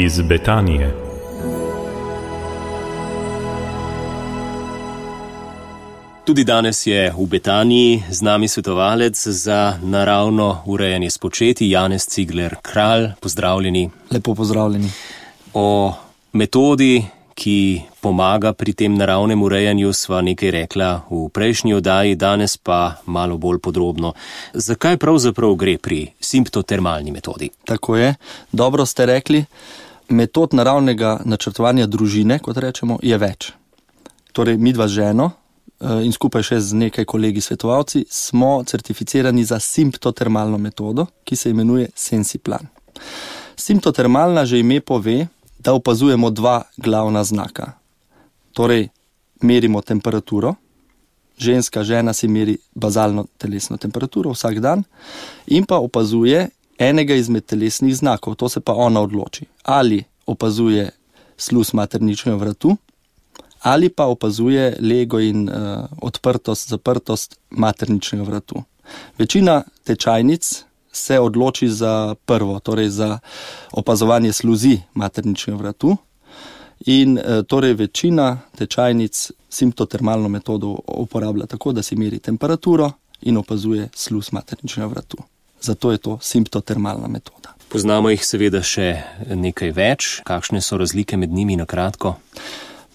Iz Betanije. Tudi danes je v Betaniji z nami svetovalec za naravno urejanje spočetij, Janez Cigler Kralj. Pozdravljeni. Lepo pozdravljeni. O metodi, ki pomaga pri tem naravnem urejanju, sva nekaj rekla v prejšnji oddaji, danes pa malo bolj podrobno. Zakaj pravzaprav gre pri simptotermalni metodi? Tako je. Dobro ste rekli. Metod naravnega načrtovanja družine, kot rečemo, je več. Torej, midva z ženo in skupaj še z nekaj kolegi svetovalci smo certificirani za simptotermalno metodo, ki se imenuje Sensiplan. Simptotermalna že ime pove, da opazujemo dva glavna znaka. Torej, merimo temperaturo, žena si meri bazalno telesno temperaturo vsak dan in pa opazuje enega izmed telesnih znakov, to se pa ona odloči. Ali opazuje sluz materničnega vratu, ali pa opazuje lego in odprtost, zaprtost materničnega vratu. Večina tečajnic se odloči za prvo, torej za opazovanje sluzi materničnega vratu in torej večina tečajnic simptotermalno metodo uporablja tako, da si meri temperaturo in opazuje sluz materničnega vratu. Zato je to simptotermalna metoda. Poznamo jih seveda še nekaj več. Kakšne so razlike med njimi na kratko?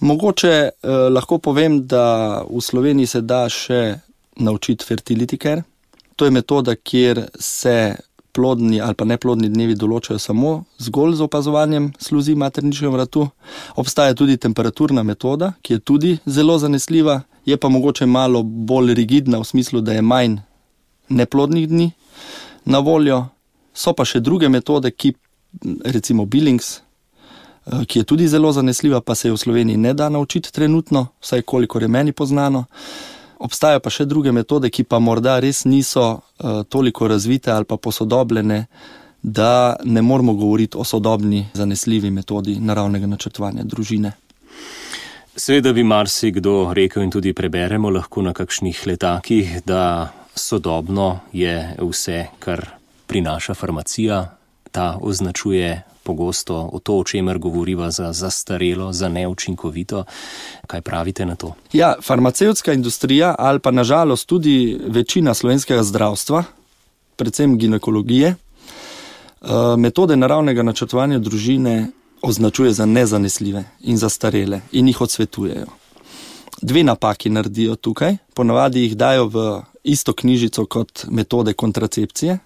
Mogoče lahko povem, da v Sloveniji se da še naučiti fertility care. To je metoda, kjer se plodni ali pa neplodni dnevi določajo samo zgolj z opazovanjem sluzi materničnega vratu. Obstaja tudi temperaturna metoda, ki je tudi zelo zanesljiva, je pa mogoče malo bolj rigidna v smislu, da je manj neplodnih dni na voljo. So pa še druge metode, ki recimo Billings, ki je tudi zelo zanesljiva, pa se je v Sloveniji ne da naučiti trenutno, vsaj kolikor je meni poznano. Obstajajo pa še druge metode, ki pa morda res niso toliko razvite ali pa posodobljene, da ne moramo govoriti o sodobni zanesljivi metodi naravnega načrtovanja družine. Seveda bi marsikdo rekel in tudi preberemo lahko na kakšnih letakih, da sodobno je vse, kar prinaša farmacija. Ta označuje pogosto to, o čemer govoriva, za zastarelo, za neučinkovito. Kaj pravite na to? Ja, farmacevtska industrija ali pa nažalost tudi večina slovenskega zdravstva, predvsem ginekologije, metode naravnega načrtovanja družine označuje za nezanesljive in zastarele in jih odsvetujejo. Dve napaki naredijo tukaj. Ponavadi jih dajo v isto knjižico kot metode kontracepcije.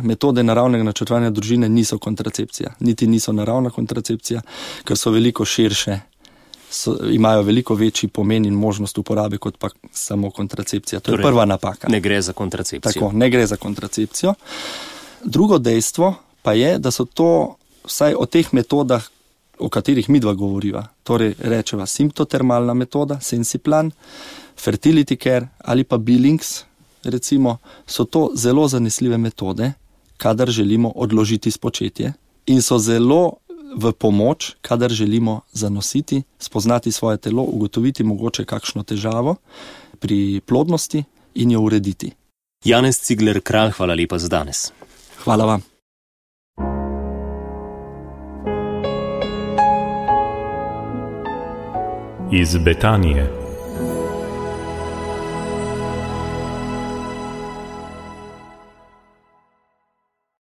Metode naravnega načrtovanja družine niso kontracepcija, niti niso naravna kontracepcija, ker so veliko širše, imajo veliko večji pomen in možnost uporabe kot pa samo kontracepcija. To je prva napaka. Ne gre za kontracepcijo. Tako, ne gre za kontracepcijo. Drugo dejstvo pa je, da so to vsaj o teh metodah, o katerih midva govoriva, torej rečeva simptotermalna metoda, Sensiplan, fertility care ali pa Billings, recimo, so to zelo zanesljive metode, kadar želimo odložiti spočetje in so zelo v pomoč, kadar želimo zanositi, spoznati svoje telo, ugotoviti mogoče kakšno težavo pri plodnosti in jo urediti. Janez Cigler Kralj, hvala lepa za danes. Hvala vam. Iz Betanije.